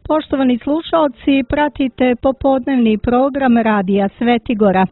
Poštovani slušalci, pratite popodnevni program Radija Svetigora.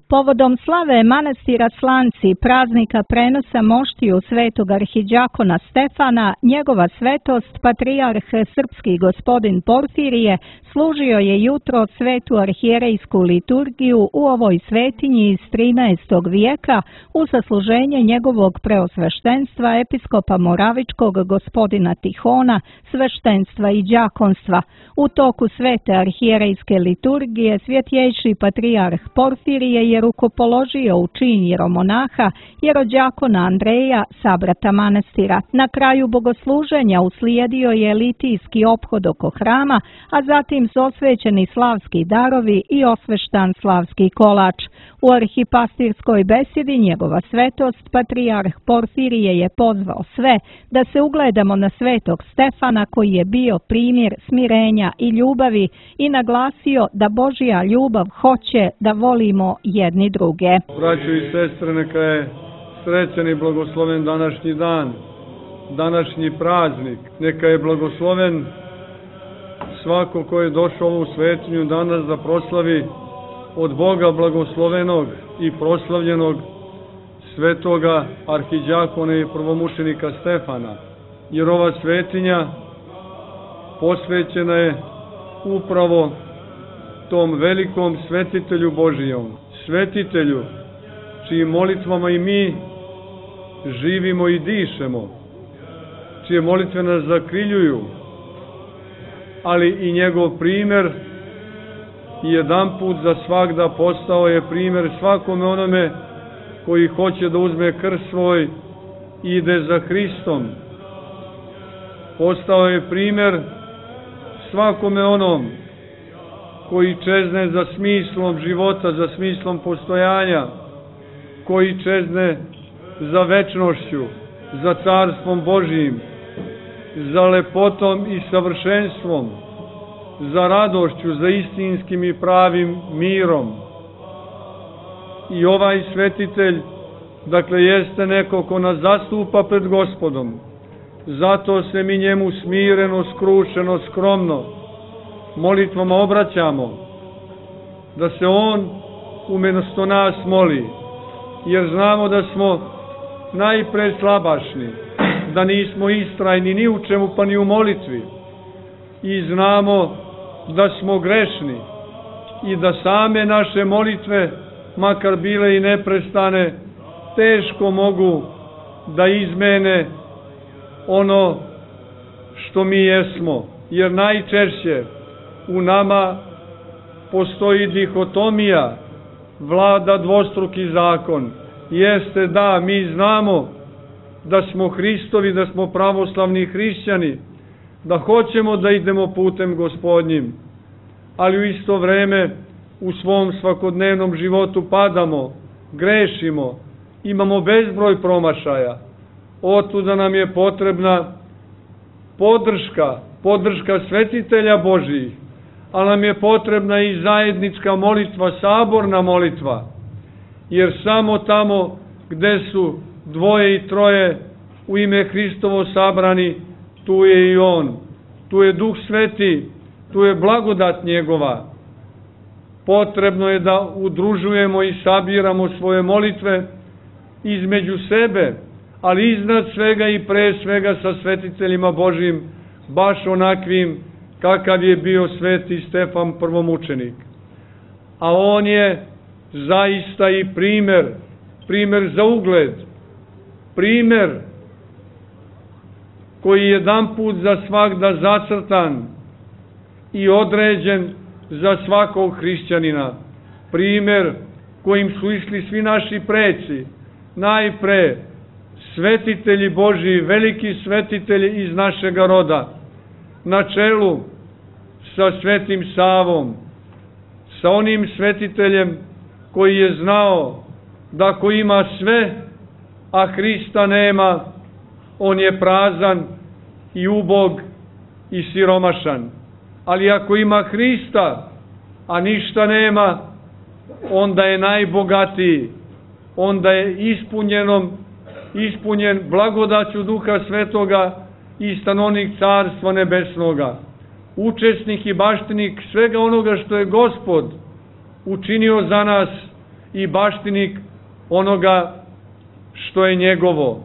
Povodom slave manastira Slanci, praznika prenosa moštiju svetog arhidjakona Stefana, njegova svetost, patrijarh srpski gospodin Porfirije, služio je jutro svetu arhijerejsku liturgiju u ovoj svetinji iz 13. vijeka u zasluženje njegovog preosveštenstva episkopa Moravičkog gospodina Tihona, sveštenstva i đakonstva. U toku svete arhijerejske liturgije svjetjejši patrijarh Porfirije je rukopoložio u čin jeromonaha jerođakona Andreja, sabrata manastira. Na kraju bogosluženja uslijedio je litijski ophod oko hrama, a zatim su osvećeni slavski darovi i osveštan slavski kolač. U arhipastirskoj besedi njegova svetost, patrijarh Porfirije je pozvao sve da se ugledamo na svetog Stefana koji je bio primjer smirenja i ljubavi i naglasio da Božja ljubav hoće da volimo jedni druge. Braćo i sestre, neka je srećan i blagosloven današnji dan, današnji praznik. Neka je blagosloven svako ko je došao u ovu svetinju danas da proslavi od Boga blagoslovenog i proslavljenog svetoga arhidjakona i prvomučenika Stefana. Jer ova svetinja posvećena je upravo tom velikom svetitelju Božijom, svetitelju čijim molitvama i mi živimo i dišemo, čije molitve nas zakriljuju, ali i njegov primjer jedanput za svagda postao je primjer svakome onome koji hoće da uzme krst svoj i ide za Hristom. Postao je primjer svakome onom koji čezne za smislom života, za smislom postojanja, koji čezne za večnošću, za carstvom Božijim, za lepotom i savršenstvom, za radošću, za istinskim i pravim mirom. I ovaj svetitelj, dakle, jeste neko ko nas zastupa pred Gospodom. Zato se mi njemu smireno, skrušeno, skromno molitvama obraćamo, da se on umjesto nas moli, jer znamo da smo najpre slabašni, da nismo istrajni ni u čemu pa ni u molitvi, i znamo da smo grešni i da same naše molitve, makar bile i neprestane, teško mogu da izmene ono što mi jesmo, jer najčešće u nama postoji dihotomija, vlada dvostruki zakon. Jeste da mi znamo da smo Hristovi, da smo pravoslavni hrišćani, da hoćemo da idemo putem Gospodnjim, ali u isto vreme u svom svakodnevnom životu padamo, grešimo, imamo bezbroj promašaja. Otuda nam je potrebna podrška svetitelja Božijih, ali nam je potrebna i zajednička molitva, saborna molitva, jer samo tamo gde su dvoje i troje u ime Hristovo sabrani, tu je i On, tu je Duh Sveti, tu je blagodat njegova. Potrebno je da udružujemo i sabiramo svoje molitve između sebe, ali iznad svega i pre svega sa svetiteljima Božjim, baš onakvim kakav je bio sveti Stefan prvomučenik. A on je zaista i primer za ugled, primer koji je jedanput za svagda zacrtan i određen za svakog hrišćanina, primer kojim su išli svi naši preci, najpre svetitelji Božiji, veliki svetitelji iz našega roda, na čelu sa svetim Savom, sa onim svetiteljem koji je znao da ako ima sve, a Hrista nema, on je prazan i ubog i siromašan. Ali ako ima Hrista, a ništa nema, onda je najbogatiji, onda je ispunjen blagodaću Duha Svetoga i stanovnik Carstva Nebesnoga, učesnik i baštinik svega onoga što je Gospod učinio za nas i baštinik onoga što je njegovo.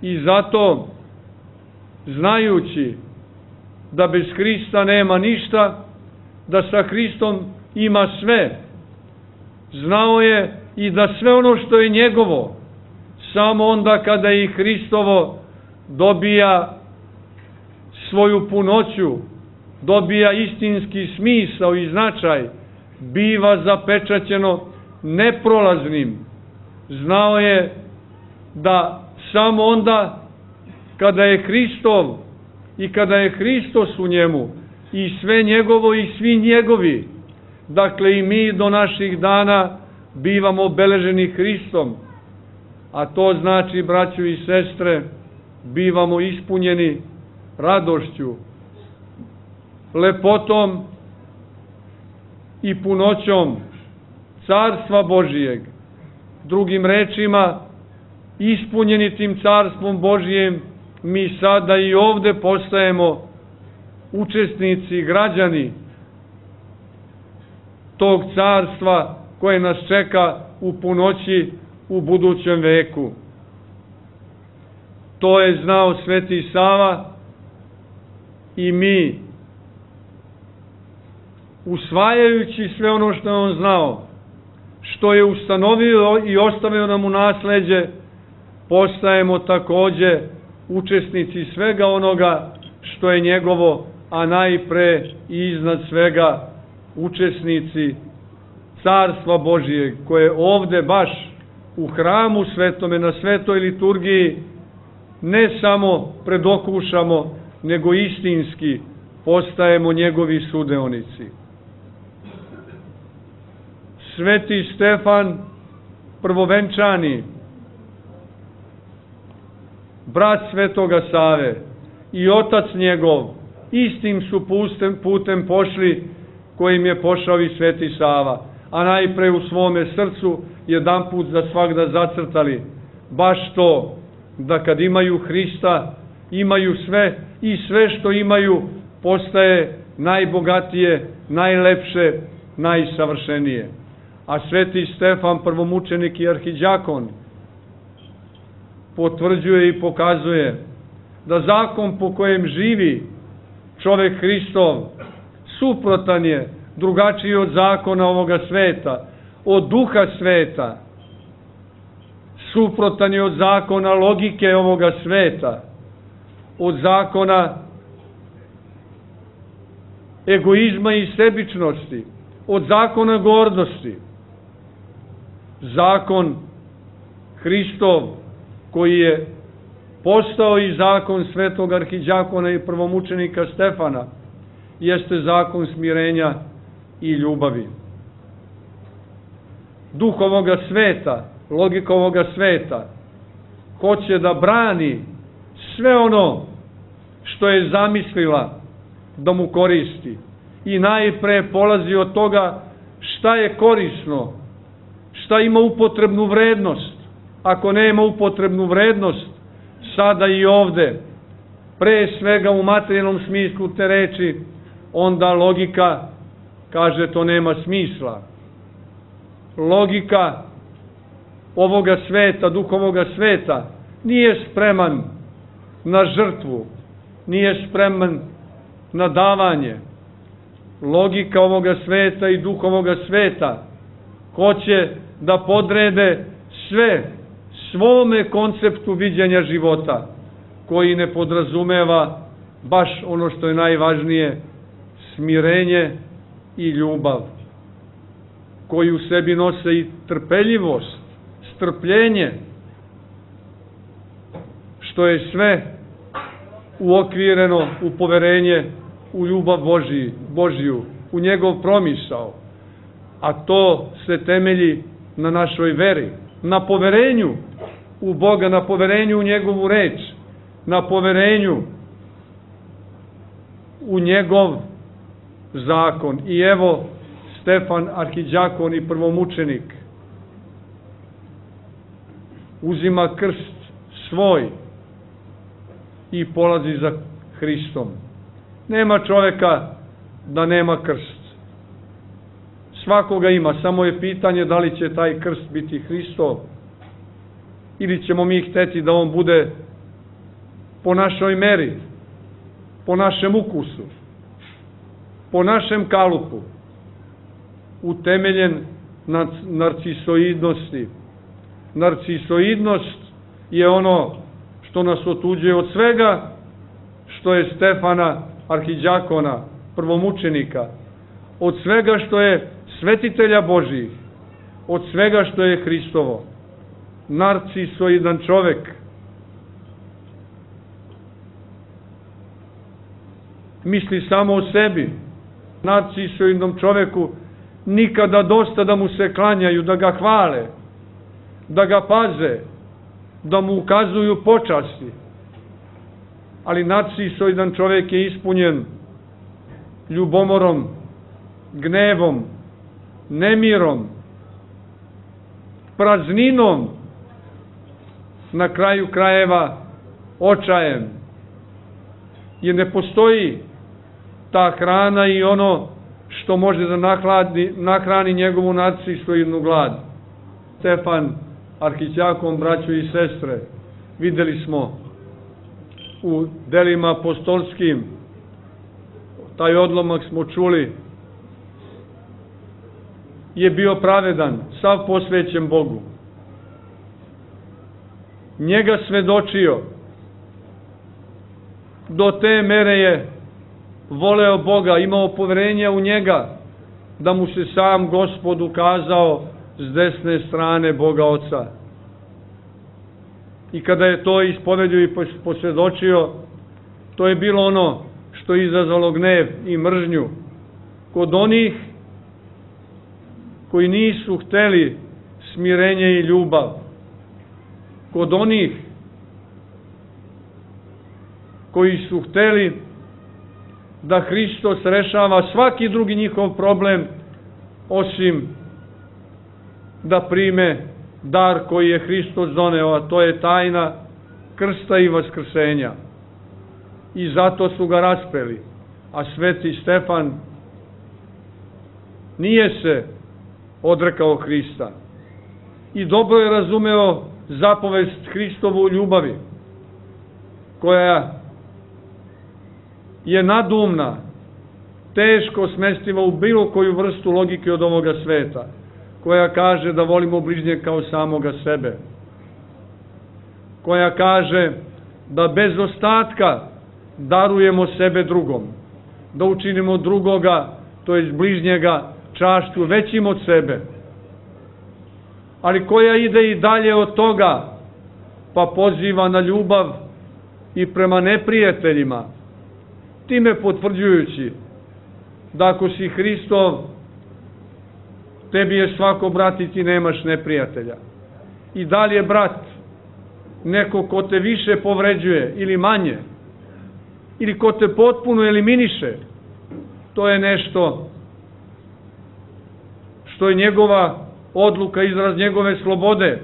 I zato, znajući da bez Hrista nema ništa, da sa Hristom ima sve, znao je i da sve ono što je njegovo, samo onda kada i Hristovo dobija svoju punoću, dobija istinski smisao i značaj, biva zapečaćeno neprolaznim. Znao je da samo onda kada je Hristov i kada je Hristos u njemu i sve njegovo i svi njegovi, dakle i mi do naših dana bivamo obeleženi Hristom, a to znači, braćo i sestre, bivamo ispunjeni radošću, lepotom i punoćom Carstva Božijeg. Drugim rečima, ispunjeni tim Carstvom Božijem, mi sada i ovde postajemo učesnici, građani tog carstva koje nas čeka u punoći u budućem veku. To je znao Sveti Sava i mi, usvajajući sve ono što je on znao, što je ustanovio i ostavio nam u nasleđe, postajemo takođe učesnici svega onoga što je njegovo, a najpre i iznad svega učesnici Carstva Božijeg, koje ovde baš u hramu svetome, na svetoj liturgiji, ne samo predokušamo, nego istinski postajemo njegovi sudeonici. Sveti Stefan prvovenčani, brat Svetoga Save i otac njegov, istim su putem pošli kojim je pošao i Sveti Sava, a najpre u svome srcu jedanput za svagda zacrtali baš to, da kad imaju Hrista, imaju sve i sve što imaju postaje najbogatije, najlepše, najsavršenije. A Sveti Stefan, prvomučenik i arhidjakon, potvrđuje i pokazuje da zakon po kojem živi čovek Hristov suprotan je, drugačiji od zakona ovoga sveta, od duha sveta, suprotan je od zakona logike ovoga sveta, od zakona egoizma i sebičnosti, od zakona gordosti. Zakon Hristov, koji je postao i zakon svetog arhidjakona i prvomučenika Stefana, jeste zakon smirenja i ljubavi. Duh ovoga sveta, logika ovoga sveta, hoće da brani sve ono što je zamislila da mu koristi. I najpre polazi od toga šta je korisno, šta ima upotrebnu vrednost. Ako nema upotrebnu vrednost, sada i ovde, pre svega u materijalnom smislu te reči, onda logika kaže to nema smisla. Logika ovoga sveta, duh ovoga sveta, nije spreman na žrtvu, nije spreman na davanje. Logika ovoga sveta i duh ovoga sveta hoće da podrede sve svome konceptu viđenja života, koji ne podrazumeva baš ono što je najvažnije, smirenje i ljubav, koji u sebi nose i trpeljivost, strpljenje, što je sve uokvireno u poverenje u ljubav Božiju, u njegov promisao. A to se temelji na našoj veri, na poverenju u Boga, na poverenju u njegovu reč, na poverenju u njegov zakon. I evo, Stefan arhidjakon i prvomučenik uzima krst svoj i polazi za Hristom. Nema čoveka da nema krst. Svakoga ima, samo je pitanje da li će taj krst biti Hristov ili ćemo mi hteti da on bude po našoj meri, po našem ukusu, po našem kalupu, utemeljen na narcisoidnosti. Narcisoidnost je ono što nas otuđuje od svega što je Stefana arhidjakona, prvomučenika, od svega što je svetitelja Božijih, od svega što je Hristovo. Narcisoidan čovek misli samo o sebi. Narcisoidnom čoveku nikada dosta da mu se klanjaju, da ga hvale, da ga paze, da mu ukazuju počasti. Ali narcisoidan čovek je ispunjen ljubomorom, gnevom, nemirom, prazninom, na kraju krajeva očajem. Jer ne postoji ta hrana i ono što može da nahrani njegovu narcisoidnu glad. Stefan arhidjakon, braćo i sestre, videli smo u delima apostolskim, taj odlomak smo čuli, je bio pravedan, sav posvećen Bogu. Njega svedočio, do te mere je voleo Boga, imao poverenja u njega, da mu se sam Gospod ukazao s desne strane Boga Oca. I kada je to ispovedio i posvjedočio, to je bilo ono što je izazvalo gnev i mržnju kod onih koji nisu hteli smirenje i ljubav, kod onih koji su hteli da Hristos rešava svaki drugi njihov problem, osim da prime dar koji je Hristos doneo, a to je tajna krsta i vaskrsenja. I zato su ga raspeli. A sveti Stefan nije se odrekao Hrista. I dobro je razumeo zapovest Hristovu ljubavi, koja je nadumna, teško smestiva u bilo koju vrstu logike od ovoga sveta, koja kaže da volimo bližnjeg kao samoga sebe, koja kaže da bez ostatka darujemo sebe drugom, da učinimo drugoga, to jest bližnjega, čašću većim od sebe, ali koja ide i dalje od toga, pa poziva na ljubav i prema neprijateljima, time potvrđujući da ako si Hristov, tebi je svako brat i ti nemaš neprijatelja. I da li je brat neko ko te više povređuje ili manje, ili ko te potpuno eliminiše, to je nešto što je njegova odluka, izraz njegove slobode,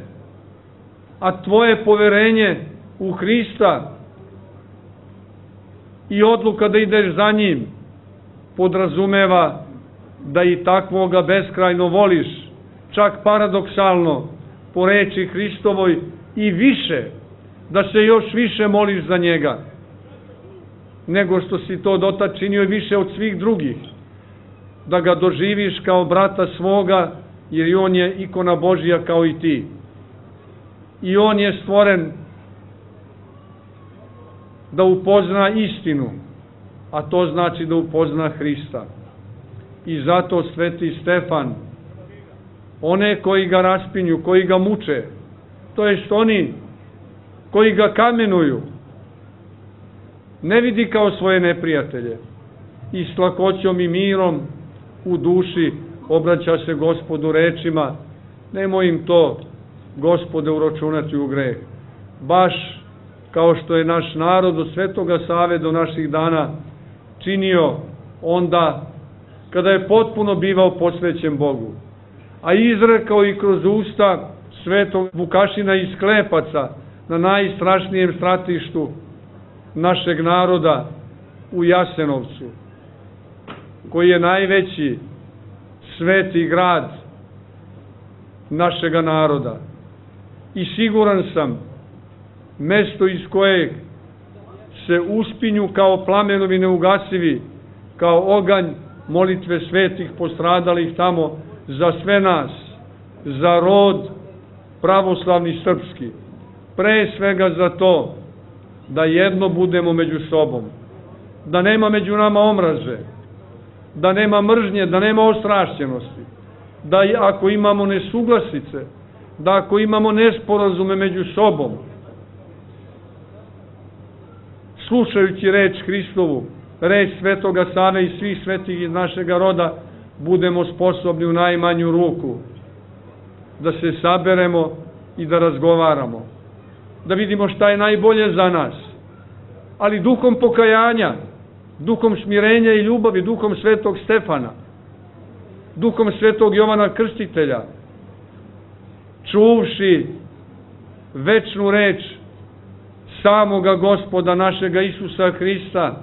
a tvoje poverenje u Hrista i odluka da ideš za njim podrazumeva da i takvoga beskrajno voliš, čak paradoksalno, po reči Hristovoj, i više, da se još više moliš za njega, nego što si to dotad činio i više od svih drugih, da ga doživiš kao brata svoga, jer i on je ikona Božija kao i ti. I on je stvoren da upozna istinu, a to znači da upozna Hrista. I zato sveti Stefan, one koji ga raspinju, koji ga muče, to jest oni koji ga kamenuju, ne vidi kao svoje neprijatelje i s lakoćom i mirom u duši obraća se Gospodu rečima: nemoj im to, Gospode, uračunati u greh. Baš kao što je naš narod od Svetoga Save do naših dana činio onda kada je potpuno bivao posvećen Bogu, a izrekao i kroz usta svetog Vukašina iz Klepaca na najstrašnijem stratištu našeg naroda u Jasenovcu, koji je najveći sveti grad našega naroda. I siguran sam, mesto iz kojeg se uspinju kao plamenovi neugasivi, kao oganj molitve svetih postradalih tamo za sve nas, za rod pravoslavni srpski, pre svega za to da jedno budemo među sobom, da nema među nama omraže, da nema mržnje, da nema ostrašćenosti, da ako imamo nesuglasice, da ako imamo nesporazume među sobom, slušajući reč Hristovu, reč svetoga Save i svih svetih iz našega roda, budemo sposobni u najmanju ruku da se saberemo i da razgovaramo, da vidimo šta je najbolje za nas, ali duhom pokajanja, duhom smirenja i ljubavi, duhom svetog Stefana, duhom svetog Jovana Krstitelja, čuvši večnu reč samoga Gospoda našega Isusa Hrista,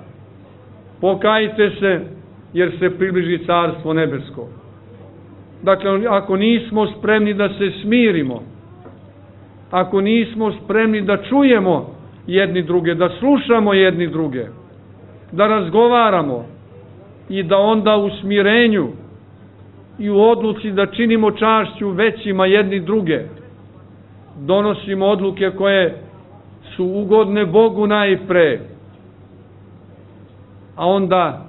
pokajte se jer se približi Carstvo nebesko. Dakle, ako nismo spremni da se smirimo, ako nismo spremni da čujemo jedni druge, da slušamo jedni druge, da razgovaramo i da onda u smirenju i u odluci da činimo čašću većima jedni druge, donosimo odluke koje su ugodne Bogu najpre, a onda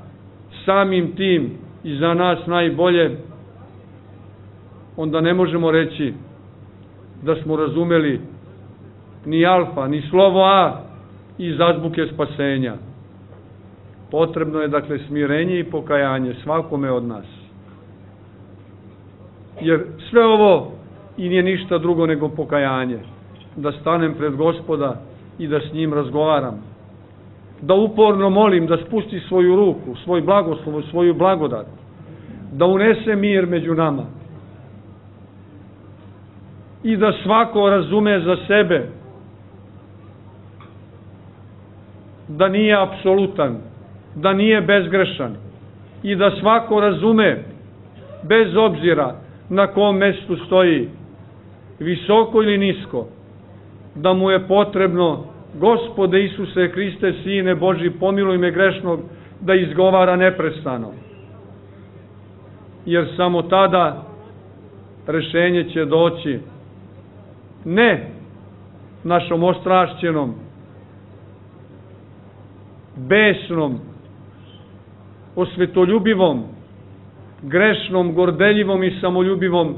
samim tim i za nas najbolje, onda ne možemo reći da smo razumeli ni alfa, ni slovo A iz azbuke spasenja. Potrebno je, dakle, smirenje i pokajanje svakome od nas. Jer sve ovo i nije ništa drugo nego pokajanje. Da stanem pred Gospoda i da s njim razgovaram. Da uporno molim da spusti svoju ruku, svoj blagoslov, svoju blagodat. Da unese mir među nama. I da svako razume za sebe da nije apsolutan, da nije bezgrešan i da svako razume, bez obzira na kom mestu stoji, visoko ili nisko, da mu je potrebno: Gospode Isuse Hriste, Sine Božji, pomiluj me grešnog, da izgovara neprestano. Jer samo tada rešenje će doći ne našom ostrašćenom, besnom, osvetoljubivom, grešnom, gordeljivom i samoljubivom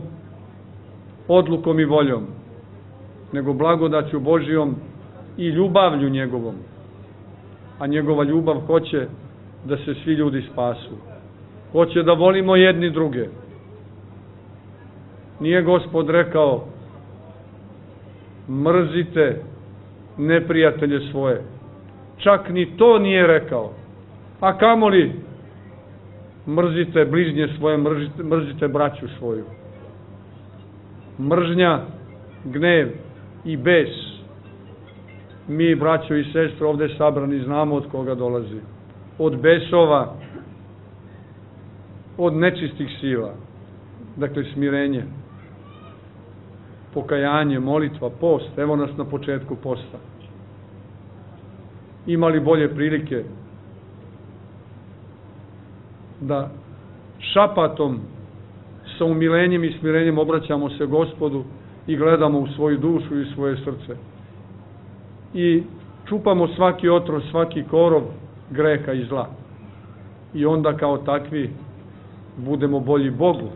odlukom i voljom, nego blagodaću Božijom i ljubavlju njegovom. A njegova ljubav hoće da se svi ljudi spasu. Hoće da volimo jedni druge. Nije Gospod rekao: mrzite neprijatelje svoje. Čak ni to nije rekao. A kamoli mrzite bližnje svoje, mrzite braću svoju. Mržnja, gnev i bes, mi, braćo i sestre, ovde sabrani, znamo od koga dolazi. Od besova, od nečistih sila. Dakle, smirenje, pokajanje, molitva, post. Evo nas na početku posta. Imali bolje prilike da šapatom, sa umilenjem i smirenjem obraćamo se Gospodu i gledamo u svoju dušu i svoje srce. I čupamo svaki otrov, svaki korov greha i zla. I onda kao takvi budemo bolji Bogu,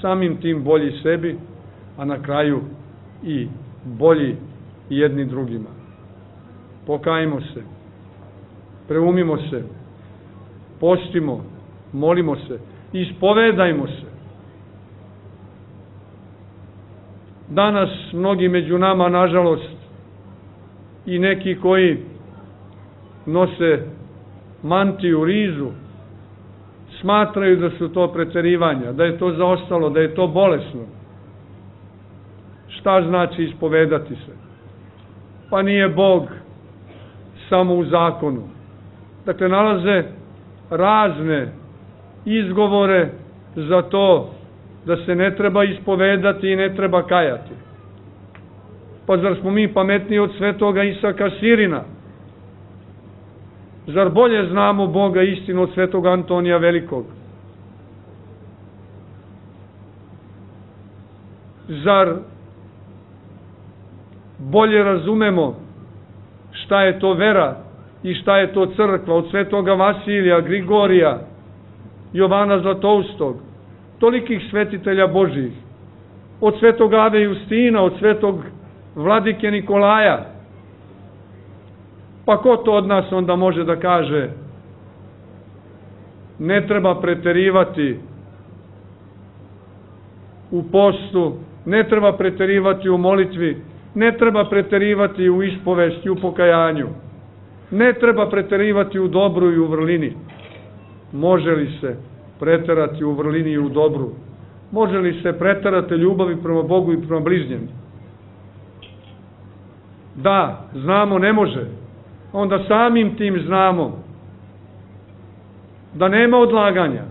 samim tim bolji sebi, a na kraju i bolji jedni drugima. Pokajmo se, preumimo se, postimo, molimo se, ispovedajmo se. Danas mnogi među nama, nažalost, i neki koji nose mantiju, rizu, smatraju da su to preterivanja, da je to zaostalo, da je to bolesno. Šta znači ispovedati se? Pa nije Bog samo u zakonu. Dakle, nalaze razne izgovore za to da se ne treba ispovedati i ne treba kajati. Pa zar smo mi pametniji od svetoga Isaka Sirina? Zar bolje znamo Boga istinu od svetog Antonija Velikog? Zar bolje razumemo šta je to vera i šta je to crkva od svetoga Vasilija, Grigorija, Jovana Zlatoustog, tolikih svetitelja Božih, od svetog Ave Justina, od svetog Vladike Nikolaja? Pa ko to od nas onda može da kaže ne treba preterivati u postu, ne treba preterivati u molitvi, ne treba preterivati u ispovesti, u pokajanju, ne treba preterivati u dobru i u vrlini? Može li se preterati u vrlini i u dobru? Može li se preterati ljubavi prema Bogu i prema bližnjem? Da, znamo, ne može. Onda samim tim znamo da nema odlaganja,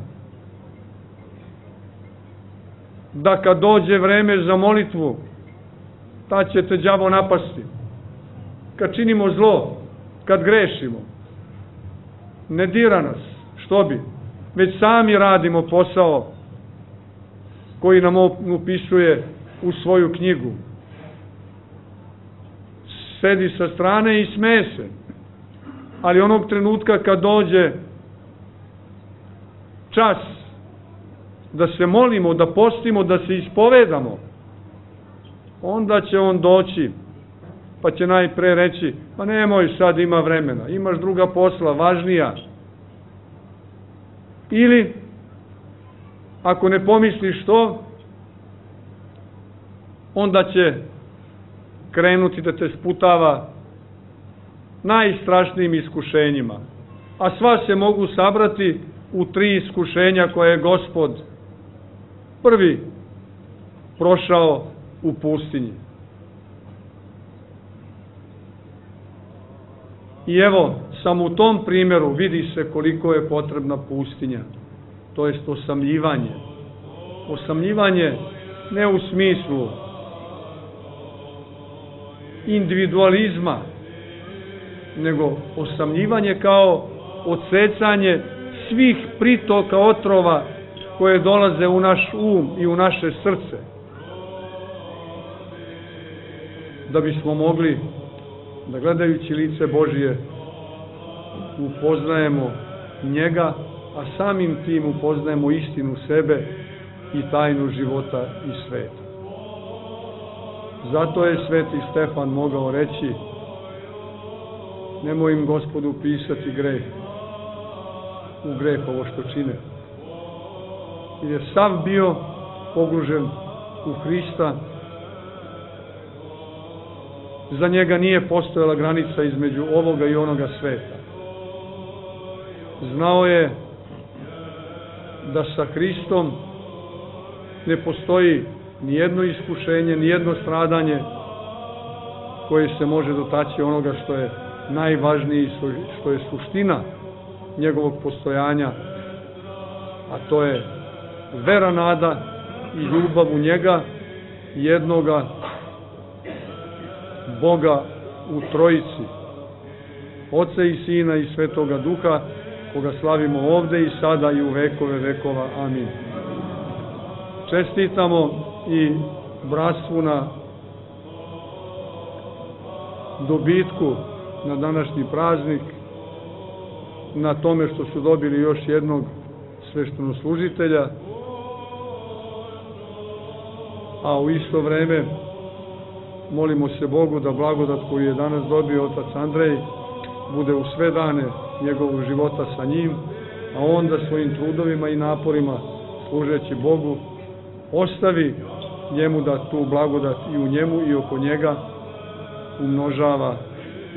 da kad dođe vreme za molitvu, tad će te đavo napasti. Kad činimo zlo, kad grešimo, ne dira nas, što bi, već sami radimo posao koji nam upisuje u svoju knjigu. Sedi sa strane i smeje se. Ali onog trenutka kad dođe čas da se molimo, da postimo, da se ispovedamo, onda će on doći, pa će najpre reći, pa nemoj, sad ima vremena, imaš druga posla, važnija. Ili, ako ne pomisliš to, onda će krenuti da te sputava najstrašnijim iskušenjima. A sva se mogu sabrati u 3 iskušenja koje je Gospod prvi prošao u pustinji. I evo, samo u tom primjeru vidi se koliko je potrebna pustinja, to jest osamljivanje. Osamljivanje ne u smislu individualizma, nego osamljivanje kao odsecanje svih pritoka otrova koje dolaze u naš um i u naše srce, da bismo mogli da gledajući lice Božije upoznajemo njega, a samim tim upoznajemo istinu sebe i tajnu života i sveta. Zato je sveti Stefan mogao reći, nemoj im, Gospodu, pisati greh, u greh ovo što čine. Jer je sav bio pogružen u Hrista, za njega nije postojala granica između ovoga i onoga sveta. Znao je da sa Hristom ne postoji nijedno iskušenje, nijedno stradanje koje se može dotaći onoga što je najvažnije, što je suština njegovog postojanja, a to je vera, nada i ljubav u njega, jednoga Boga u Trojici, Oca i Sina i Svetoga Duha, koga slavimo ovde i sada i u vekove vekova. Amin. Čestitamo i bratstvu na dobitku na današnji praznik, na tome što su dobili još jednog sveštenoslужitelja, a u isto vreme molimo se Bogu da blagodat koju je danas dobio otac Andrej bude u sve dane njegovog života sa njim, a onda svojim trudovima i naporima služeći Bogu ostavi njemu da tu blagodat i u njemu i oko njega umnožava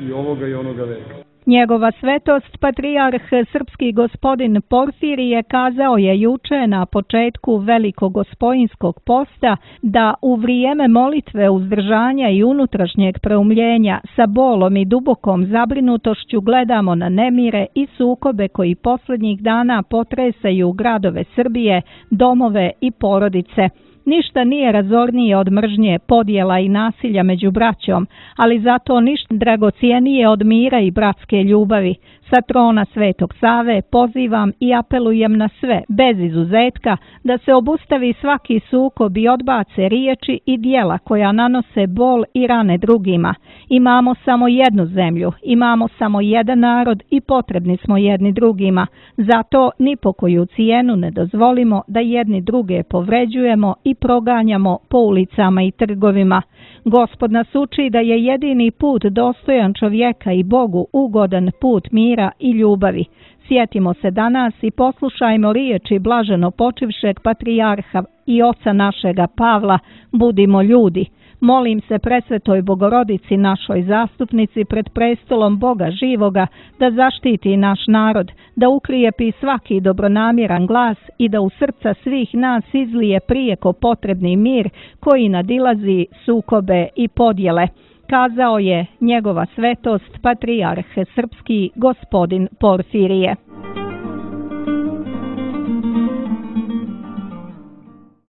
i ovoga i onoga veka. Njegova svetost, patrijarh srpski gospodin Porfirije, kazao je juče na početku Velikog Gospojinskog posta da u vrijeme molitve, uzdržanja i unutrašnjeg preumljenja sa bolom i dubokom zabrinutošću gledamo na nemire i sukobe koji posljednjih dana potresaju gradove Srbije, domove i porodice. Ništa nije razornije od mržnje, podjela i nasilja među braćom, ali zato ništa dragocijenije od mira i bratske ljubavi. Sa trona Svetog Save pozivam i apelujem na sve, bez izuzetka, da se obustavi svaki sukob i odbace riječi i djela koja nanose bol i rane drugima. Imamo samo jednu zemlju, imamo samo jedan narod i potrebni smo jedni drugima. Zato ni po koju cijenu ne dozvolimo da jedni druge povređujemo i proganjamo po ulicama i trgovima. Gospod nas uči da je jedini put dostojan čovjeka i Bogu ugodan put mira i ljubavi. Sjetimo se danas i poslušajmo riječi blaženo počivšeg patrijarha i oca našega Pavla: budimo ljudi. Molim se presvetoj Bogorodici, našoj zastupnici pred prestolom Boga živoga, da zaštiti naš narod, da ukrijepi svaki dobronamjeran glas i da u srca svih nas izlije prijeko potrebni mir koji nadilazi sukobe i podjele, kazao je njegova svetost patrijarh srpski gospodin Porfirije.